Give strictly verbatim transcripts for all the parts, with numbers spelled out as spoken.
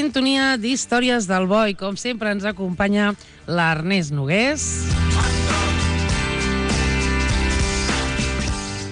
sintonia d'Històries del Bo i com sempre ens acompanya l'Ernest Nogués.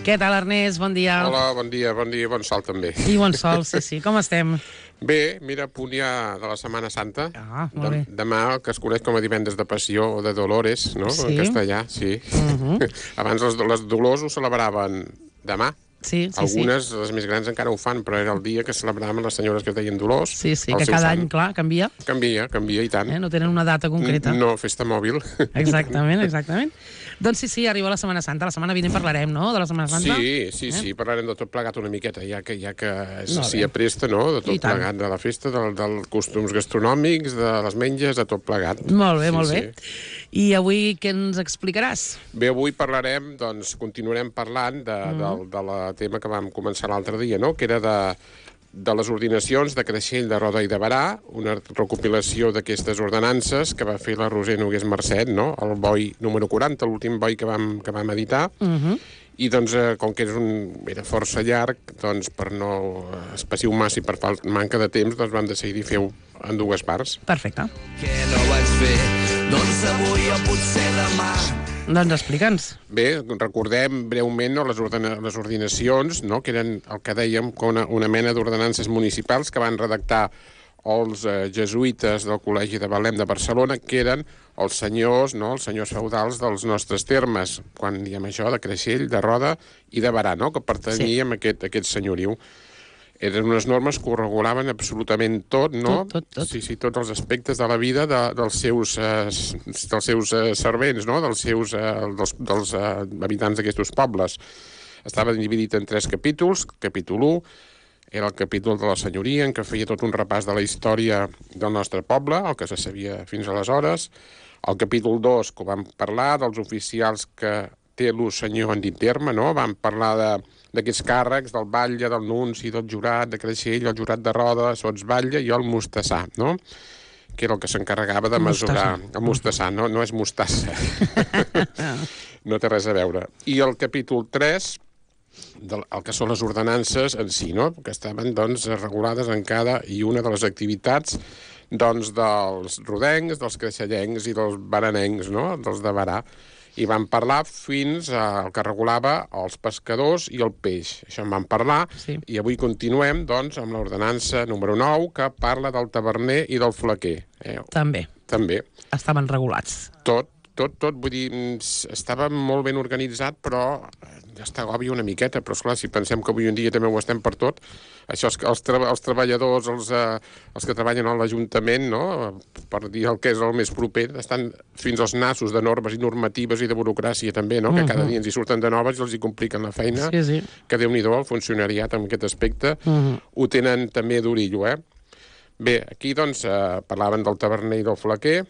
Què tal, Ernest? Bon dia. Hola, bon dia, bon dia, bon sol també. I bon sol, sí, sí. Com estem? Bé, mira, a punt ja de la Setmana Santa. Ah, molt bé. Demà, el que es coneix com a divendres de Passió o de Dolores, no? Sí. En castellà, sí. Uh -huh. Abans les, les Dolors ho celebraven demà. Sí, sí, Algunes, sí. les més grans, encara ho fan, però era el dia que celebraven les senyores que es deien Dolors. Sí, sí, que cada any, clar, canvia. Canvia, canvia, i tant. Eh? No tenen una data concreta. No, festa mòbil. Exactament, exactament. Doncs sí, sí, arriba la Setmana Santa. La setmana vinent parlarem, no?, de la Setmana Santa. Sí, sí, eh? sí, parlarem de tot plegat una miqueta, ja que, ja que No, s'hi apresta, no?, de tot I tant. plegat, de la festa, dels del costums gastronòmics, de les menges, de tot plegat. Molt bé, sí, molt sí. bé. I avui què ens explicaràs? Bé, avui parlarem, doncs, continuarem parlant de, mm. del de la tema que vam començar l'altre dia, no?, que era de, de les ordinacions de Creixell, de Roda i de Berà, una recopilació d'aquestes ordenances que va fer la Roser Nogués Marcet, no?, el boi número quaranta, l'últim boi que vam, que vam editar, Uh -huh. i doncs, eh, com que és un, era força llarg, doncs, per no espaciar massa i per fal- manca de temps, doncs vam decidir fer-ho en dues parts. Perfecte. Què no vaig fer? Doncs avui o potser demà. Doncs explica'ns. Bé, recordem breument, no, les, ordena les ordinacions, no, que eren el que dèiem una, una mena d'ordenances municipals que van redactar els eh, jesuïtes del Col·legi de Betlem de Barcelona, que eren els senyors, no, els senyors feudals dels nostres termes, quan diem això, de Creixell, de Roda i de Berà, no, que pertanyien sí. a, aquest, a aquest senyoriu. Eren unes normes que ho regulaven absolutament tot, no? Tot, tot, tot. Sí, sí, tots els aspectes de la vida de, dels seus, eh, dels seus eh, servents, no? Dels seus, eh, dels, dels eh, habitants d'aquests pobles. Estava dividit en tres capítols. Capítol u era el capítol de la senyoria, en què feia tot un repàs de la història del nostre poble, el que se sabia fins aleshores. El capítol dos, que ho vam parlar, dels oficials que té l'ús senyor en dit terme, no? Vam parlar de d'aquests càrrecs, del batlle, del nunci, del jurat de Creixell, el jurat de Roda, sotsbatlle i el mostassà, no?, que era el que s'encarregava de mesurar... Mostassa. El mostassà, no, no és mostassa. No té res a veure. I el capítol tres, del, el que són les ordenances en si, no?, que estaven, doncs, regulades en cada i una de les activitats, doncs, dels rodencs, dels creixellencs i dels baranencs, no?, dels de Berà. I vam parlar fins al que regulava els pescadors i el peix. Això en vam parlar, Sí. i avui continuem, doncs, amb l'ordenança número nou, que parla del taverner i del flequer. Eh? També. També. Estaven regulats. Tot, tot, tot, vull dir, mm, estava molt ben organitzat, però ja està agòbia una miqueta, però esclar, si pensem que avui en dia també ho estem per tot, això és que els, tra els treballadors, els, eh, els que treballen a l'Ajuntament, no?, per dir el que és el més proper, estan fins als nassos de normes i normatives i de burocràcia també, no?, que cada dia ens hi surten de noves i els hi compliquen la feina, Sí, sí. que Déu-n'hi-do, el funcionariat en aquest aspecte, Uh -huh. ho tenen també d'orillo, eh? Bé, aquí, doncs, eh, parlaven del taverner i del flequer.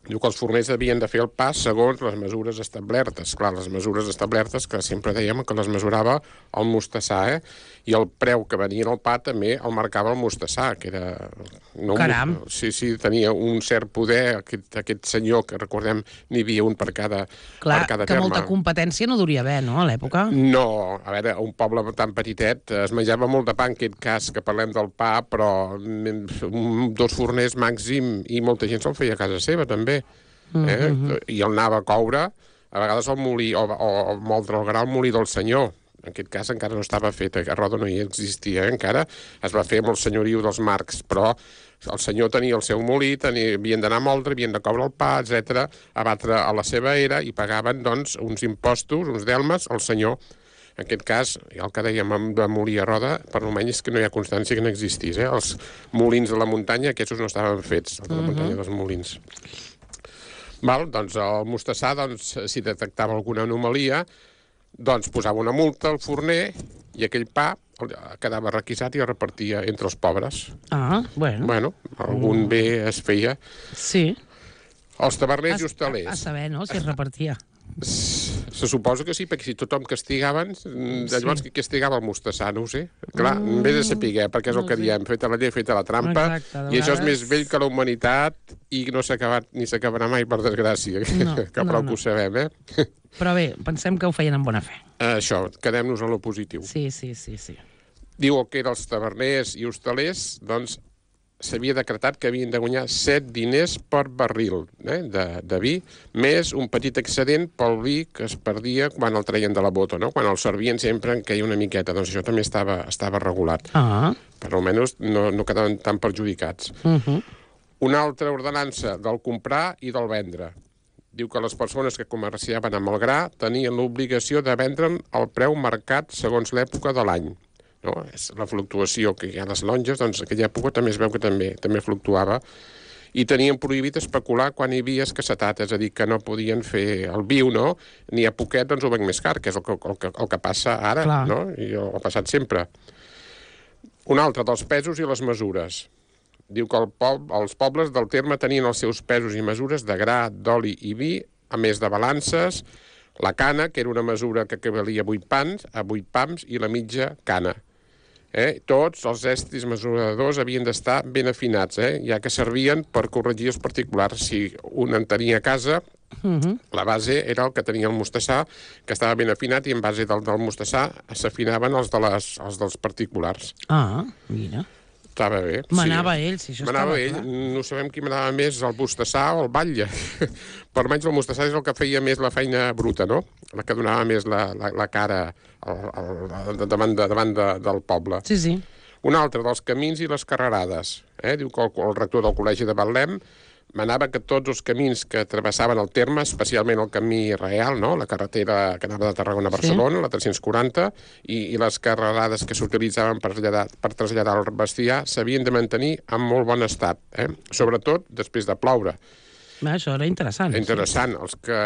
Diu que els forners havien de fer el pas segons les mesures establertes. Clar, les mesures establertes, que sempre dèiem que les mesurava el mostassà, eh? I el preu que venia en el pa també el marcava el mostassà, que era... No, Caram. Sí, sí, tenia un cert poder, aquest, aquest senyor, que recordem, n'hi havia un per cada, Clar, per cada que terme. molta competència no duria haver, no?, a l'època. No, a veure, un poble tan petitet es menjava molt de pa, en aquest cas, que parlem del pa, però mm, dos forners màxim i molta gent se'l feia a casa seva, també. Eh? Mm-hmm. I el anava a coure, a vegades al molí, o, o, o moldre el gra al molí del senyor. En aquest cas encara no estava fet, a Roda no hi existia, eh? Encara es va fer amb el senyoriu dels Marcs, però el senyor tenia el seu molí, tenia, havien d'anar a moldre, havien de coure el pa, etcètera, a batre a la seva era i pagaven, doncs, uns impostos, uns delmes, al senyor. En aquest cas, el que dèiem de molí a Roda, per almenys que no hi ha constància que no existís, eh? Els molins de la muntanya, aquests no estaven fets, els de la muntanya dels molins. Val, doncs el mostassà, doncs, si detectava alguna anomalia, doncs posava una multa al forner i aquell pa quedava requisat i es repartia entre els pobres. Ah, bueno. Bueno, algun mm. bé es feia. Sí. Els taverners A, i hostalers. a, a saber, no?, si es repartia. Se suposa que sí, perquè si tothom castigaven, llavors qui castigava el mostassà, no ho sé. Clar, mm. vés a saber, perquè és el No que sé. diem, feta la llei, feta la trampa, Exacte, de i això és vegades- més vell que la humanitat i no s'ha acabat ni s'acabarà mai, per desgràcia, No, que prou no, no. que ho sabem, eh? Però bé, pensem que ho feien amb bona fe. Això, quedem-nos en lo positiu. Sí, sí, sí, sí. Diu que eren els taverners i hostalers, doncs, s'havia decretat que havien de guanyar set diners per barril eh, de, de vi, més un petit excedent pel vi que es perdia quan el treien de la bota, no? Quan el servien sempre en queia una miqueta. Doncs això també estava, estava regulat. Ah. Per almenys no, no quedaven tan perjudicats. Uh -huh. Una altra ordenança del comprar i del vendre. Diu que les persones que comerciaven amb el gra tenien l'obligació de vendre'n al preu marcat segons l'època de l'any. No? És la fluctuació que hi ha a les longes, doncs en aquella època també es veu que també també fluctuava, i tenien prohibit especular quan hi havia escassetat, és a dir, que no podien fer el viu, no? Ni a poquet, doncs ho venc més car, que és el que, el que, el que passa ara, Clar. no? I ha passat sempre. Un altre, dels pesos i les mesures. Diu que el poble, els pobles del terme tenien els seus pesos i mesures de gra, d'oli i vi, a més de balances, la cana, que era una mesura que equivalia a vuit pans, a vuit pams, i la mitja cana. Eh? Tots els estris mesuradors havien d'estar ben afinats, eh? Ja que servien per corregir els particulars. Si un en tenia a casa, uh -huh. la base era el que tenia el mostassà, que estava ben afinat, i en base del, del mostassà s'afinaven els, de les, els dels particulars. Ah, mira. Estava bé. Manava sí. ell, si això manava estava ell. clar. No sabem qui manava més, el mostassà o el batlle. Per almenys el mostassà és el que feia més la feina bruta, no? La que donava més la, la, la cara al, al, davant, de, davant de, del poble. Sí, sí. Un altre, dels camins i les carrerades. Eh? Diu que el, el rector del Col·legi de Betlem manava que tots els camins que travessaven el terme, especialment el camí real, no? La carretera que anava de Tarragona a Barcelona, sí. La tres-cents quaranta, i, i les carrerades que s'utilitzaven per, per traslladar el bestiar, s'havien de mantenir en molt bon estat, eh? Sobretot després de ploure. Ah, això era interessant. Interessant. Sí. Els que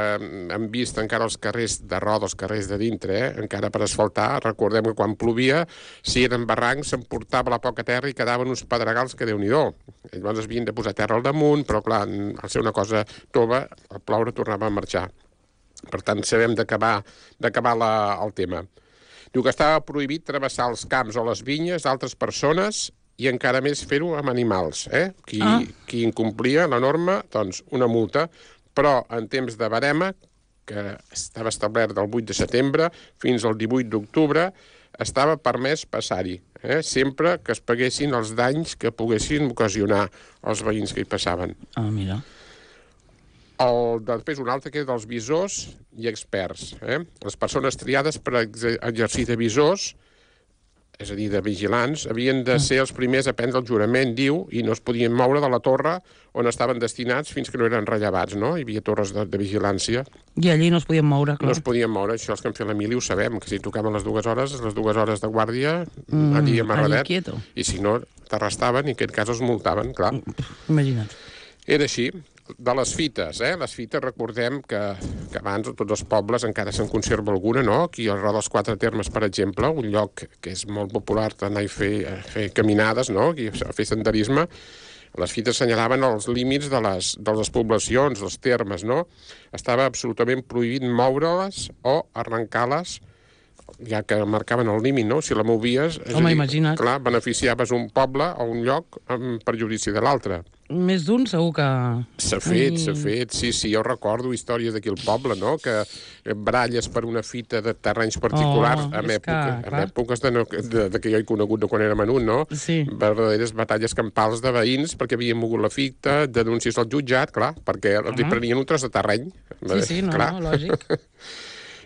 han vist encara els carrers de roda, els carrers de dintre, eh? Encara per asfaltar, recordem que quan plovia, si eren barrancs, s'emportava la poca terra i quedaven uns pedregals que Déu-n'hi-do. Llavors es havien de posar terra al damunt, però clar, al ser una cosa tova, el ploure tornava a marxar. Per tant, sabem d'acabar d'acabar el tema. Diu que estava prohibit travessar els camps o les vinyes d'altres persones i encara més fer-ho amb animals. Eh? Qui, ah. qui incomplia la norma, doncs una multa, però en temps de barema, que estava establert del vuit de setembre fins al divuit d'octubre, estava permès passar-hi, eh? Sempre que es paguessin els danys que poguessin ocasionar els veïns que hi passaven. Ah, mira. El, després un altre que és dels visors i experts. Eh? Les persones triades per exercir de visors, és a dir, de vigilants, havien de ser els primers a prendre el jurament, diu, i no es podien moure de la torre on estaven destinats fins que no eren rellevats, no? Hi havia torres de, de vigilància. I allí no es podien moure, clar. No es podien moure, això els que han fet la mili ho sabem, que si tocaven les dues hores, les dues hores de guàrdia, mm, allí amarradet, i si no, t'arrestaven i en aquest cas els multaven, clar. Imagina't. Era així. De les fites, eh? Les fites, recordem que, que abans a tots els pobles encara se'n conserva alguna, no? Aquí al Roda dels Quatre Termes, per exemple, un lloc que és molt popular d'anar a fer, a fer caminades, no? Aquí a fer senderisme. Les fites senyalaven els límits de les, de les poblacions, els termes, no? Estava absolutament prohibit moure-les o arrencar-les, ja que marcaven el límit, no? Si la movies, és Home, a dir, imagina't. clar, beneficiaves un poble o un lloc en perjudici de l'altre. Més d'un segur que... S'ha fet, s'ha fet, sí, sí, jo recordo històries d'aquí al poble, no?, que baralles per una fita de terrenys particulars, Oh, en, és època, que, en clar. èpoques de, no, de, de que jo he conegut de quan era menut, no? Sí. Verdaderes batalles campals de veïns perquè havien mogut la fita, denúncies al jutjat, clar, perquè els hi prenien un tros de terreny. Sí, sí, no, clar. no, lògic.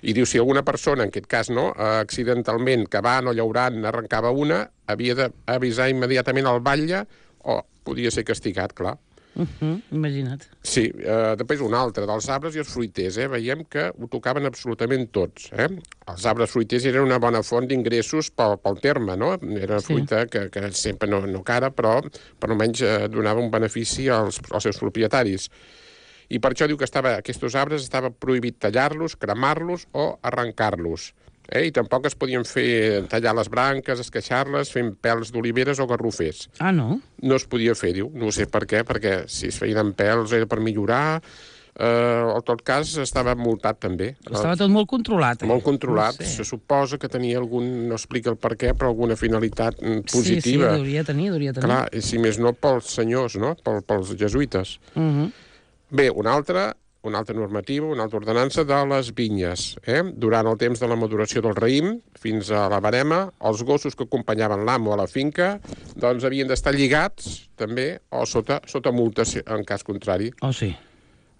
I diu, si alguna persona, en aquest cas, no, accidentalment, cavant o llaurant, arrencava una, havia d'avisar immediatament al batlle o podia ser castigat, clar. Uh -huh, imagina't. Sí, eh, després un altre, dels arbres i els fruiters, eh? Veiem que ho tocaven absolutament tots, eh? Els arbres fruiters eren una bona font d'ingressos pel, pel terme, no? Era una Sí. fruita que, que sempre no, no cara, però per almenys eh, donava un benefici als, als seus propietaris. I per això diu que estava, aquests arbres estava prohibit tallar-los, cremar-los o arrencar-los. Eh? I tampoc es podien fer tallar les branques, esqueixar-les, fent pèls d'oliveres o garrofers. Ah, no? No es podia fer, diu. No sé per què, perquè si es feien amb pèls era per millorar. Eh, en tot cas, estava multat també. Estava tot molt controlat. Eh? Molt controlat. No sé. Se suposa que tenia algun, no explica el per què, però alguna finalitat mm, positiva. Sí, sí, hauria de tenir, hauria de tenir. Clar, i si més no pels senyors, no? Pel, pels jesuïtes. Uh -huh. Bé, un altre, una altra normativa, una altra ordenança de les vinyes. Eh? Durant el temps de la maduració del raïm, fins a la barema, els gossos que acompanyaven l'amo a la finca doncs havien d'estar lligats, també, o sota, sota multa, en cas contrari. Oh, sí.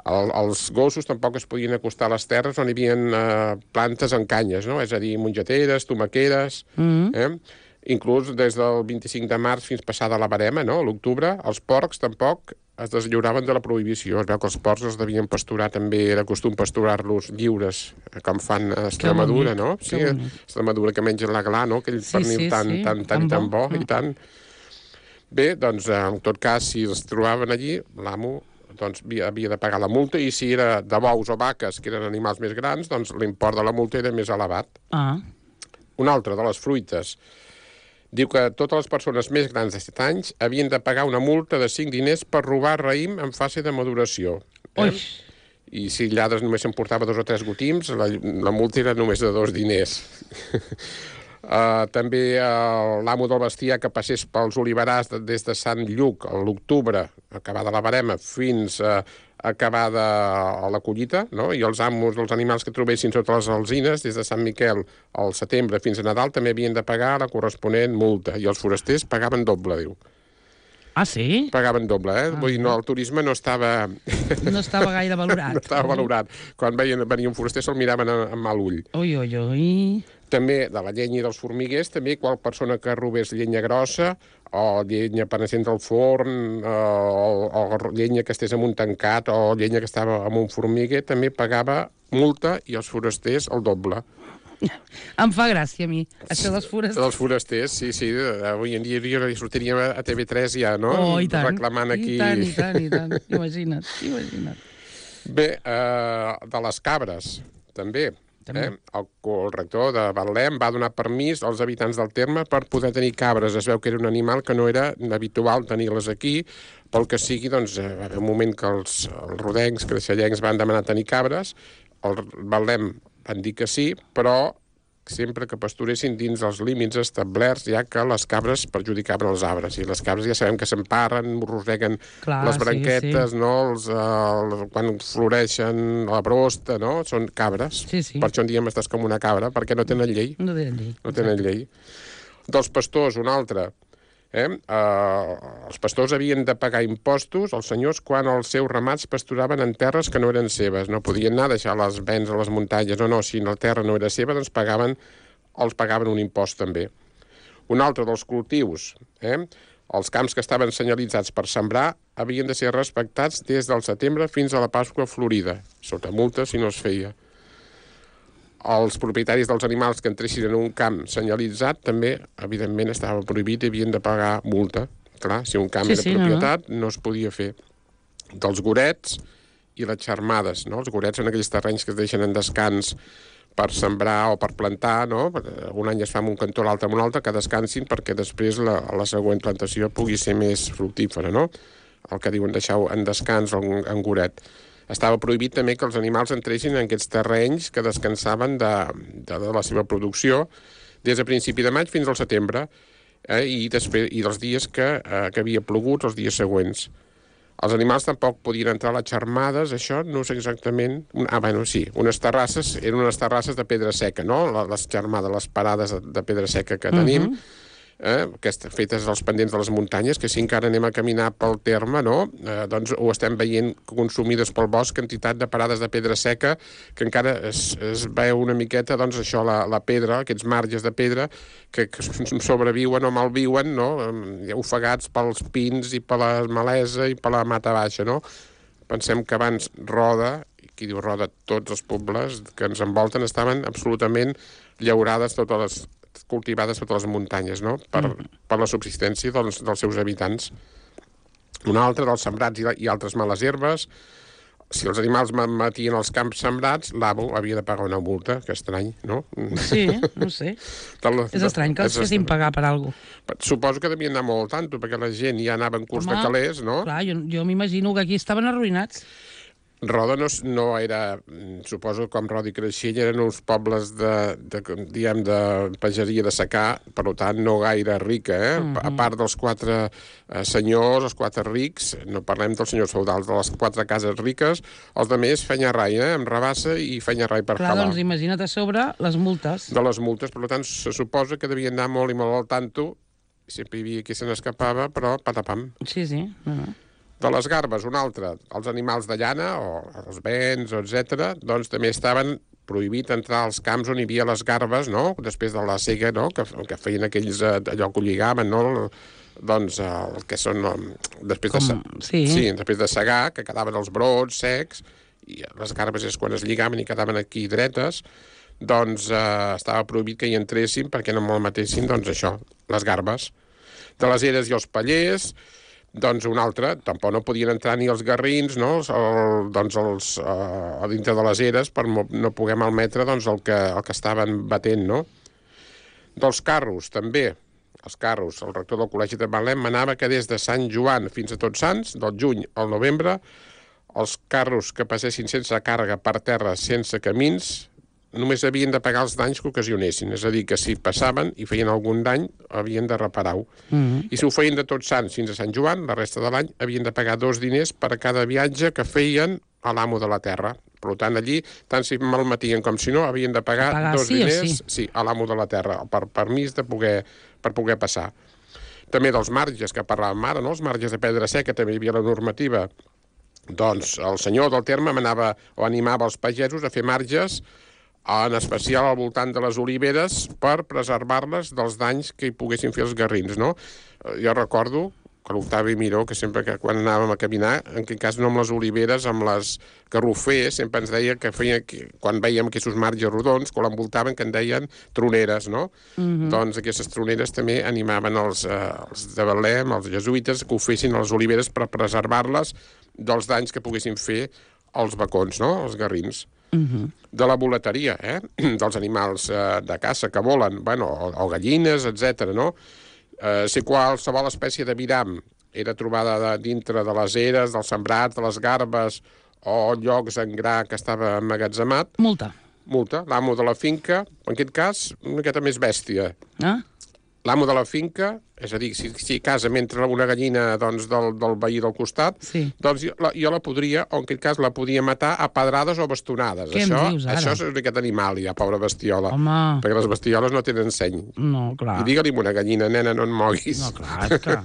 El, els gossos tampoc es podien acostar a les terres on hi havia eh, plantes en canyes, no? És a dir, mongeteres, tomaqueres... Mm-hmm. eh? Inclús des del vint-i-cinc de març fins passada la barema, no? A l'octubre, els porcs tampoc es deslliuraven de la prohibició. Es veu que els porcs els devien pasturar també, era costum pasturar-los lliures, com fan a Extremadura, no? Sí, a Extremadura, que mengen la gla, no? Aquell sí, pernil sí, tan, sí. tan, tan, tan bo, mm. i tant. Bé, doncs, en tot cas, si els trobaven allí, l'amo doncs, havia, havia de pagar la multa, i si era de bous o vaques, que eren animals més grans, doncs l'import de la multa era més elevat. Ah. Una altra de les fruites diu que totes les persones més grans de set anys havien de pagar una multa de cinc diners per robar raïm en fase de maduració. Eh? I si lladres només s'emportava dos o tres gotims, la, la multa era només de dos diners. uh, també uh, l'amo del bestiar que passés pels oliverars de, des de Sant Lluc a l'octubre, acabada la barema, fins a uh, acabada a la collita, no? I els amos dels animals que trobessin sota les alzines, des de Sant Miquel al setembre fins a Nadal, també havien de pagar la corresponent multa. I els forasters pagaven doble, diu. Ah, sí? Pagaven doble, eh? Ah, Vull dir, no, el turisme no estava... No estava gaire valorat. No estava valorat. Quan veien, venia un foraster se'l miraven amb mal ull. Ui, ui, ui... També de la llenya i dels formiguers, també qual persona que robés llenya grossa o llenya per encendre el forn o, o llenya que estés en un tancat o llenya que estava en un formiguer, també pagava multa, i els forasters el doble. Em fa gràcia a mi, això dels forasters. Els forasters, sí, sí. Avui en dia jo sortiria a T V tres ja, no? Oh, i tant. Reclamant aquí... I tant, i tant, i tant. Imagina't, imagina't. Bé, eh, de les cabres, també. Eh? El, el rector de Betlem va donar permís als habitants del terme per poder tenir cabres. Es veu que era un animal que no era habitual tenir-les aquí, pel que sigui, doncs, va haver un moment que els, els rodencs, creixellencs van demanar tenir cabres, el Betlem van dir que sí, però sempre que pasturessin dins els límits establerts, ja que les cabres perjudicaven els arbres. I les cabres ja sabem que s'emparren, roseguen Clar, les branquetes, sí, sí. no? Els, uh, quan floreixen la brosta, no? Són cabres. Sí, sí. Per això en diem estàs com una cabra, perquè no tenen llei. No tenen llei. No tenen llei. Dels pastors, un altre. Eh? Uh, els pastors havien de pagar impostos als senyors quan els seus ramats pasturaven en terres que no eren seves. No podien anar a deixar les bens a les muntanyes. No, no, si la terra no era seva, doncs pagaven, els pagaven un impost també. Un altre dels cultius, eh? Els camps que estaven senyalitzats per sembrar havien de ser respectats des del setembre fins a la Pasqua Florida, sota multa si no es feia. Els propietaris dels animals que entressin en un camp senyalitzat també, evidentment, estava prohibit i havien de pagar multa. Clar, si un camp sí, era sí, propietat, no, no. no es podia fer. Dels gorets i les xarmades, no? Els gorets són aquells terrenys que es deixen en descans per sembrar o per plantar, no? Un any es fa en un cantó, l'altre en un altre, que descansin perquè després la, la següent plantació pugui ser més fructífera, no? El que diuen deixar en descans en, en goret. Estava prohibit també que els animals entressin en aquests terrenys que descansaven de, de, de la seva producció des de principi de maig fins al setembre, eh, i, després, i dels dies que, eh, que havia plogut, els dies següents. Els animals tampoc podien entrar a les xarmades, això no sé exactament... Ah, bueno, sí, unes terrasses, eren unes terrasses de pedra seca, no? Les xarmades, les parades de pedra seca que tenim, uh-huh. Eh, aquestes fetes als pendents de les muntanyes, que si encara anem a caminar pel terme, no? Eh, doncs ho estem veient consumides pel bosc, quantitat de parades de pedra seca, que encara es, es veu una miqueta, doncs això, la, la pedra, aquests marges de pedra, que, que sobreviuen o malviuen, no? Ofegats pels pins i per la malesa i per la mata baixa, no? Pensem que abans Roda, qui diu Roda, tots els pobles que ens envolten estaven absolutament llaurades totes les cultivades totes les muntanyes, no? Per, mm. per la subsistència dels, dels seus habitants. Un altre, dels sembrats i, i altres males herbes. Si els animals matien els camps sembrats, l'amo havia de pagar una multa, que estrany, no? Sí, no sé. La, és estrany que els fessin pagar per alguna cosa. Suposo que devien anar molt tanto, perquè la gent ja anava en curs Home, de calés, no? Clar, jo, jo m'imagino que aquí estaven arruïnats. Roda no, no era, suposo, com Roda i Creixell, eren uns pobles de, de, diguem, de pageria de secà, per tant, no gaire rica, eh? Mm -hmm. A part dels quatre eh, senyors, els quatre rics, no parlem dels senyors feudals, de les quatre cases riques, els de més feien rai, eh? Amb rabassa i feien rai per Clar, calar. doncs imagina't a sobre les multes. De les multes, per tant, se suposa que devien anar molt i molt al tanto, sempre hi havia qui se n'escapava, però patapam. Sí, sí. Uh -huh. De les garbes, un altre, els animals de llana, o els bens, etcètera, doncs també estaven prohibit entrar als camps on hi havia les garbes, no?, després de la sega, no?, que, que feien aquells, allò que ho lligaven, no?, doncs el que són, després Com... de, sí. sí, després de segar, que quedaven els brots secs, i les garbes és quan es lligaven i quedaven aquí dretes, doncs eh, estava prohibit que hi entressin perquè no malmetessin, doncs això, les garbes. De les eres i els pallers, doncs un altre, tampoc no podien entrar ni els garrins, no?, el, doncs els, uh, a dintre de les eres per no poder malmetre doncs, el, que, el que estaven batent, no? Dels carros, també, els carros, el rector del Col·legi de Betlem manava que des de Sant Joan fins a Tots Sants, del juny al novembre, els carros que passessin sense càrrega per terra, sense camins, només havien de pagar els danys que ocasionessin. És a dir, que si passaven i feien algun dany, havien de reparar-ho. Mm -hmm. I si ho feien de Tots Sants fins a Sant Joan, la resta de l'any, havien de pagar dos diners per cada viatge que feien a l'amo de la terra. Per tant, allí, tant si malmetien com si no, havien de pagar, pagar dos sí diners sí? Sí, a l'amo de la terra, per permís de poder, per poder passar. També dels marges, que parlàvem ara, no?, els marges de pedra seca, també hi havia la normativa. Doncs el senyor del terme manava o animava els pagesos a fer marges, en especial al voltant de les oliveres, per preservar-les dels danys que hi poguessin fer els garrins, no? Jo recordo que l'Octavi Miró, que sempre que quan anàvem a caminar, en aquest cas no amb les oliveres, amb les garrofers, sempre ens deia que feia, que, quan veiem aquests marges rodons, que l'envoltaven, que en deien troneres, no? Mm-hmm. Doncs aquestes troneres també animaven els, eh, els de Betlem, els jesuïtes, que ho fessin a les oliveres per preservar-les dels danys que poguessin fer els bacons, no?, els garrins. Uh-huh. De la boleteria, eh? dels animals eh, de caça que volen, bueno, o, o gallines, etcètera, no? Eh, si qualsevol espècie de viram era trobada de, dintre de les eres, dels sembrats, de les garbes o llocs en gra que estava emmagatzemat... Multa. Multa. L'amo de la finca, en aquest cas, una miqueta més bèstia. Ah? L'amo de la finca, és a dir, si, si a casa m'entra una gallina doncs, del, del veí del costat, sí. doncs jo la, jo la podria, o en aquest cas la podia matar a pedrades o bastonades. Què això, em dius ara? Això és aquest animal, ja, pobra bestiola. Home. Perquè les bestioles no tenen seny. No, clar. I digue-li a una gallina, nena, no et moguis. No, clar, clar.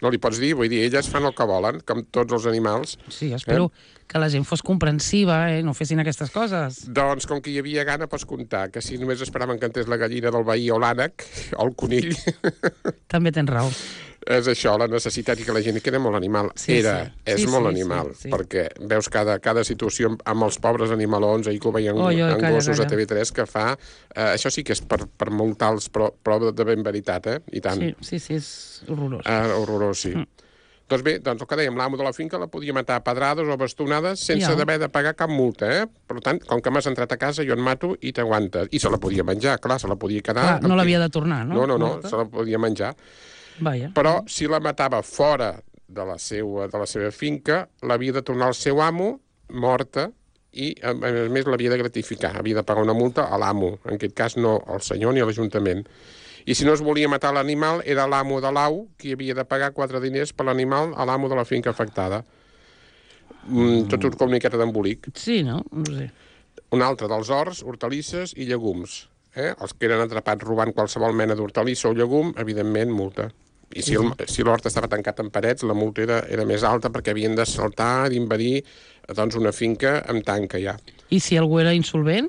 No li pots dir, vull dir, elles fan el que volen, com tots els animals. Sí, espero eh? que la gent fos comprensiva, eh? No fessin aquestes coses. Doncs, com que hi havia gana, pots comptar que si només esperaven que entrés la gallina del veí o l'ànec, o el conill... També tens raó. És això, la necessitat, i que la gent que era molt animal. Sí, era, sí. és sí, molt sí, animal, sí, sí. perquè veus cada, cada situació amb els pobres animalons, ahir que ho veien oi, oi, en calla, gossos calla. a T V tres, que fa... Eh, això sí que és per, per multar-los, però, però de ben veritat, eh? I tant. Sí, sí, sí, és horrorós. Eh, horrorós, sí. Mm. Doncs bé, doncs el que dèiem, l'amo de la finca la podia matar a pedrades o bastonades sense ja. d'haver de pagar cap multa, eh? Per tant, com que m'has entrat a casa, jo et mato i t'aguantes. I se la podia menjar, clar, se la podia quedar... Clar, no l'havia de tornar, no? No, no, no, se la podia menjar. Vaja. Però si la matava fora de la seva, de la seva finca, l'havia de tornar al seu amo, morta, i a més l'havia de gratificar, havia de pagar una multa a l'amo, en aquest cas no al senyor ni a l'Ajuntament. I si no es volia matar l'animal, era l'amo de l'au qui havia de pagar quatre diners per l'animal a l'amo de la finca afectada. Mm, tot un com una miqueta d'embolic. Sí, no? No sé. Un altre dels horts, hortalisses i llegums. Eh? Els que eren atrapats robant qualsevol mena d'hortalissa o llegum, evidentment, multa. I si, el, si l'hort estava tancat en parets, la multa era, era més alta perquè havien de saltar, d'invadir doncs, una finca amb tanca ja. I si algú era insolvent?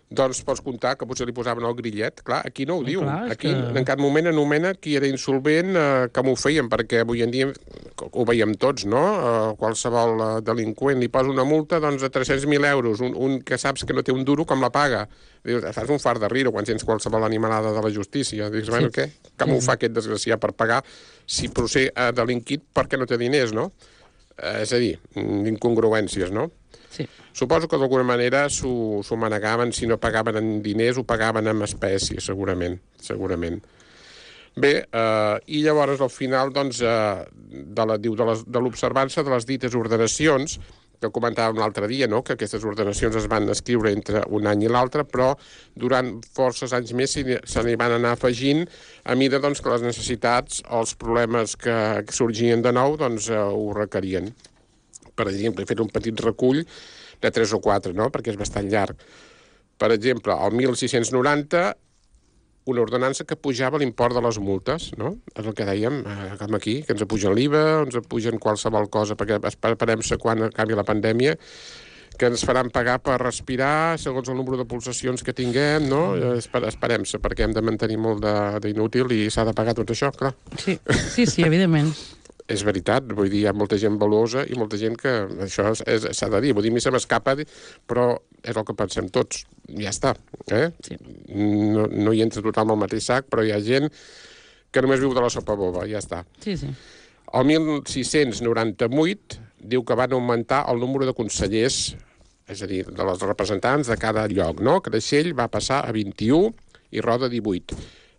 Doncs pots comptar que potser li posaven el grillet. Clar, aquí no ho diu. Clar, aquí que... en cap moment anomena qui era insolvent, eh, com ho feien, perquè avui en dia ho veiem tots, no? Eh, qualsevol eh, delinqüent li posa una multa doncs, de tres-cents mil euros, un, un que saps que no té un duro, com la paga? Dius, fas un fart de riure quan sents qualsevol animalada de la justícia. Dius, bueno, sí. Què? Com sí. ho fa aquest desgraciat per pagar? Si potser ha delinquit perquè no té diners, no? Eh, és a dir, incongruències, no? Sí. Suposo que d'alguna manera s'ho manegaven, si no pagaven en diners, ho pagaven en espècies, segurament, segurament. Bé, eh, i llavors al final, doncs, eh, de la, diu, de l'observança de les dites ordenacions, que comentàvem l'altre dia, no? Que aquestes ordenacions es van escriure entre un any i l'altre, però durant forces anys més se n'hi van anar afegint a mida doncs, que les necessitats o els problemes que sorgien de nou doncs, eh, ho requerien. Per exemple, he fet un petit recull de tres o quatre, no? Perquè és bastant llarg. Per exemple, el mil sis-cents noranta, una ordenança que pujava l'import de les multes, no? És el que dèiem, eh, com aquí, que ens apugen l'I V A, ens apugen qualsevol cosa, perquè esperem-se quan acabi la pandèmia, que ens faran pagar per respirar segons el número de pulsacions que tinguem, no? Esperem-se, perquè hem de mantenir molt d'inútil i s'ha de pagar tot això, clar. Sí, sí, sí, evidentment. És veritat, vull dir, hi ha molta gent valuosa i molta gent que això s'ha de dir. Vull dir, a mi se m'escapa, però és el que pensem tots. Ja està, eh? Sí. No, no hi entra tothom al mateix sac, però hi ha gent que només viu de la sopa boba, ja està. Sí, sí. El mil sis-cents noranta-vuit diu que van augmentar el número de consellers, és a dir, de les representants de cada lloc, no? Creixell va passar a vint-i-u i Roda a divuit.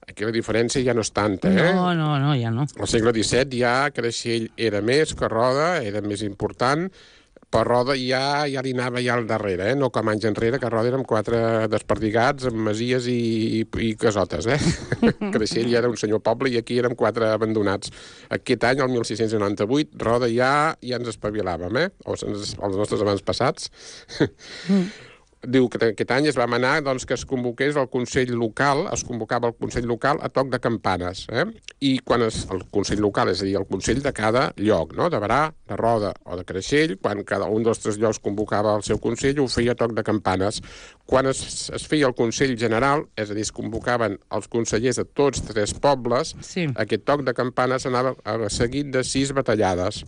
Aquí la diferència ja no és tanta, eh? No, no, no, ja no. Al segle disset ja Creixell era més que Roda, era més important, però Roda ja, ja li anava ja al darrere, eh? No com anys enrere, que a Roda érem quatre desperdigats amb masies i, i, i casotes, eh? Creixell ja era un senyor poble i aquí érem quatre abandonats. Aquest any, el mil sis-cents noranta-vuit, Roda ja, ja ens espavilàvem, eh? O els nostres abans passats. Mm. Diu que aquest any es va manar doncs, que es convoqués el Consell Local, es convocava el Consell Local a toc de campanes. Eh? I quan es, el Consell Local, és a dir, el Consell de cada lloc, no? De Berà, de Roda o de Creixell, quan cada un dels tres llocs convocava el seu Consell, ho feia a toc de campanes. Quan es, es feia el Consell General, és a dir, es convocaven els consellers de tots tres pobles, sí. Aquest toc de campanes anava seguit de sis batallades.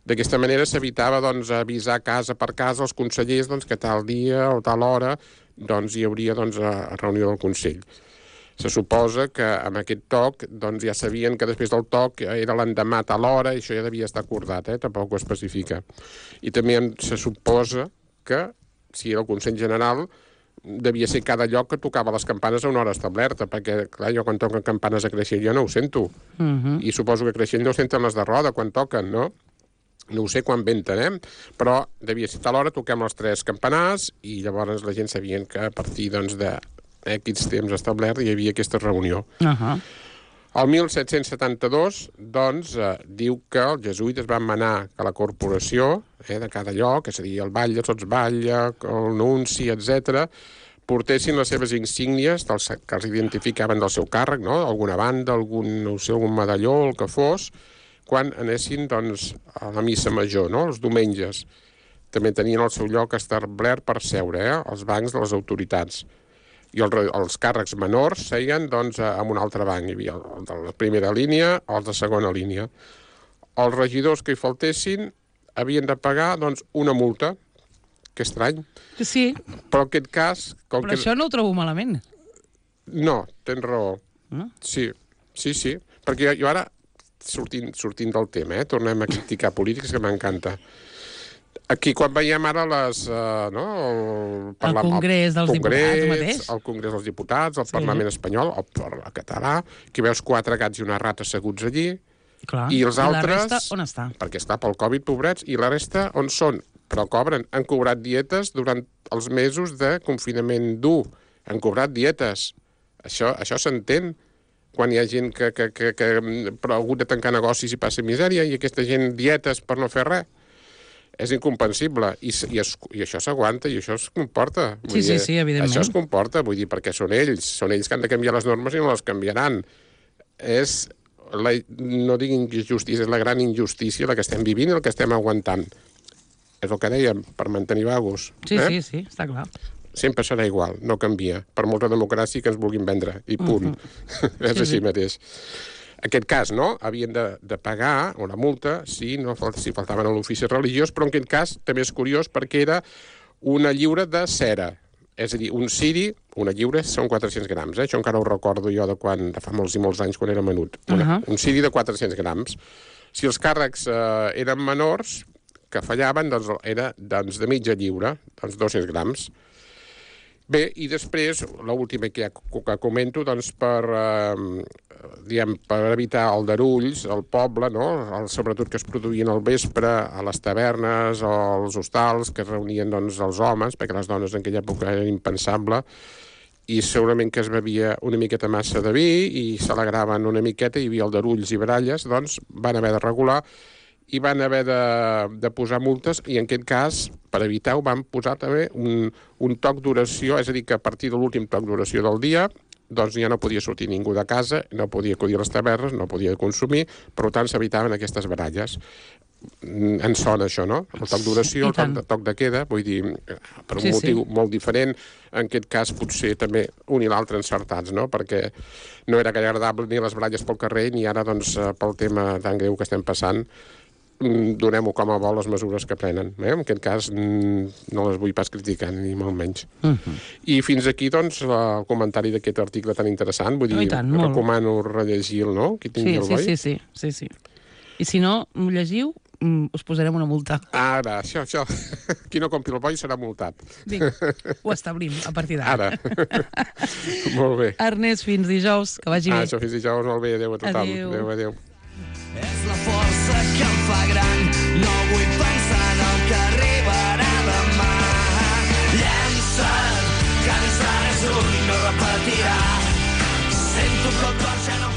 D'aquesta manera s'evitava doncs, avisar casa per casa als consellers doncs, que tal dia o tal hora doncs, hi hauria doncs, a reunió del Consell. Se suposa que amb aquest toc doncs, ja sabien que després del toc era l'endemà a tal hora i això ja devia estar acordat, eh? Tampoc ho especifica. I també se suposa que, si era el Consell General, devia ser cada lloc que tocava les campanes a una hora establerta, perquè, clar, jo quan toquen campanes a Creixell jo no ho sento. Uh-huh. I suposo que a Creixell no ho senten les de Roda quan toquen, no? No ho sé quan venten, eh? Però devia ser tal hora, toquem els tres campanars i llavors la gent sabien que a partir doncs, de X temps establert hi havia aquesta reunió. Uh-huh. El mil set-cents setanta-dos, doncs, eh, diu que els jesuïtes van manar que la corporació eh, de cada lloc, és a dir, el batlle, el sotsbatlle, el nunci, etcètera, portessin les seves insígnies dels, que els identificaven del seu càrrec, no? Alguna banda, algun, no sé, algun medalló, el que fos, quan anessin doncs, a la missa major, no? Els diumenges. També tenien el seu lloc establert per seure, eh? Els bancs de les autoritats. I el, els càrrecs menors seien doncs, en un altre banc. Hi havia el de la primera línia o els de segona línia. Els regidors que hi faltessin havien de pagar doncs, una multa. Que estrany. Sí. Però en aquest cas... Com Però que... això no ho trobo malament. No, tens raó. No? Sí, sí, sí. Perquè jo, jo ara... Sortint, sortint del tema, eh? Tornem a criticar polítics, que m'encanta. Aquí, quan veiem ara les... Uh, no, el, parla, el Congrés dels el Congrés, Diputats mateix. El Congrés dels Diputats, el sí. Parlament espanyol, el, el català, que veus quatre gats i una rata asseguts allí, clar. I els altres... I la resta on està? Perquè està pel Covid, pobrets, i la resta on són? Però cobren, han cobrat dietes durant els mesos de confinament dur. Han cobrat dietes. Això, això s'entén. Quan hi ha gent que, que, que, que ha hagut de tancar negocis i passa misèria i aquesta gent dietes per no fer res. És incomprensible. I, i, es, i això s'aguanta i això es comporta. Sí, dir, sí, sí, evidentment. Això es comporta, vull dir, perquè són ells. Són ells que han de canviar les normes i no les canviaran. És, la, no dic injustícia, és la gran injustícia la que estem vivint i el que estem aguantant. És el que dèiem, per mantenir vagos. Sí, eh? sí, sí, està clar. Sempre serà igual, no canvia, per molta democràcia que ens vulguin vendre, i punt. Uh-huh. És així mateix. Aquest cas, no? Havien de, de pagar una multa si, no, si faltaven a l'ofici religiós, però en aquest cas també és curiós perquè era una lliura de cera. És a dir, un ciri, una lliura, són quatre-cents grams. Eh? Això encara ho recordo jo de, quan, de fa molts i molts anys, quan era menut. Una, uh-huh. Un ciri de quatre-cents grams. Si els càrrecs eh, eren menors, que fallaven, doncs era doncs, de mitja lliura, doncs dos-cents grams. Bé, i després, l'última que ja que comento, doncs per, eh, diguem, per evitar aldarulls al poble, no? El, sobretot que es produïen al vespre a les tavernes o als hostals, que es reunien doncs, els homes, perquè les dones en aquella època era impensable, i segurament que es bevia una miqueta massa de vi i s'alegraven una miqueta, hi havia aldarulls i baralles, doncs van haver de regular i van haver de, de posar multes, i en aquest cas, per evitar-ho, van posar també un, un toc d'oració, és a dir, que a partir de l'últim toc d'oració del dia, doncs ja no podia sortir ningú de casa, no podia acudir a les tavernes, no podia consumir, per tant s'evitaven aquestes baralles. Ens sona això, no? El toc d'oració, el toc de, toc de queda, vull dir, per un sí, motiu sí. molt diferent, en aquest cas potser també un i l'altre encertats, no? Perquè no era gaire agradable ni les baralles pel carrer, ni ara, doncs, pel tema tan greu que estem passant, donem-ho com a bo les mesures que prenen. Eh? En aquest cas no les vull pas criticar, ni molt menys. Uh -huh. I fins aquí, doncs, el comentari d'aquest article tan interessant. Vull dir, oh, tant, recomano rellegir-lo, no? Qui tingui sí, el sí, boi. Sí, sí, sí, sí. I si no m'ho llegiu, us posarem una multa. Ara, això, això. Qui no compri el boi serà multat. Vinga, ho establim a partir d'ara. Ara. Molt bé. Ernest, fins dijous, que vagi ah, bé. Això, fins dijous, molt bé. Adéu a tothom. Adéu. Adéu, adéu. És la força que em fa gran, no vull pensar en el que arribarà demà. Llença't, que ençà és un, no repetiràs.